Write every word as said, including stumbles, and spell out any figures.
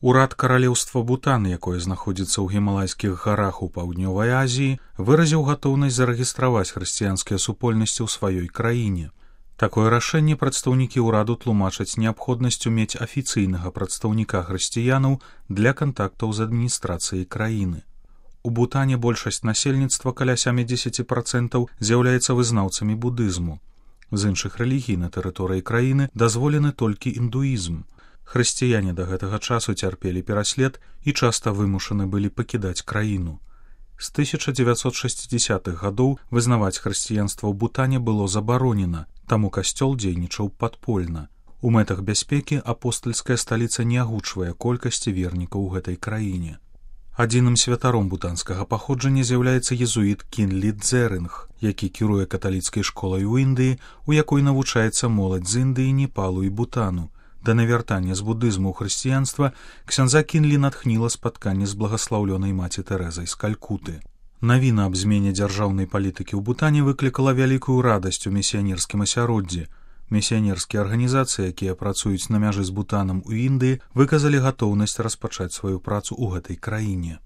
Урад каралеўства Бутан, якое знаходзіцца ў гімалайскіх гарах у паўднёвай Азіі, выразіў гатоўнасць зарэгістраваць хрысціянскія супольнасці ў сваёй краіне. Такое рашэнне прадстаўнікі ўраду тлумачаць неабходнасцю мець афіцыйнага прадстаўніка хрысціянаў для кантактаў з адміністрацыяй краіны. У Бутане большасць насельніцтва, каля сямдзесят працэнтаў, з'яўляецца вызнаўцамі будызму. З іншых рэлігій на тэрыторыі краіны дазволены толькі індуізм. Хрысціяне да гэтага часу цярпелі пераслед і часта вымушаны былі пакідаць краіну. З тысяча дзевяцьсот шэсцідзясятых гадоў вызнаваць хрысціянства ў Бутане было забаронена, таму касцёл дзейнічаў падпольна. У мэтах бяспекі апостальская сталіца не агучвае колькасці вернікаў у гэтай краіне. Адзіным святаром бутанскага паходжання з'яўляецца езуіт Кінлі Дзерынг, які кіруе каталіцкай школай у Індыі, у якой навучаецца моладзь з Індыі, Непалу і Бутану. Да навяртання з будызму ў хрысціянства ксяндза Кінлі натхніла спатканне з благаслаўлёнай маці Тэрэзай з Калькуты. Навіна аб змене дзяржаўнай палітыкі ў Бутане выклікала вялікую радасць у місіянерскім асяроддзі. Місіянерскія арганізацыі, якія працуюць на мяжы з Бутанам у Індыі, выказалі гатоўнасць распачаць сваю працу ў гэтай краіне.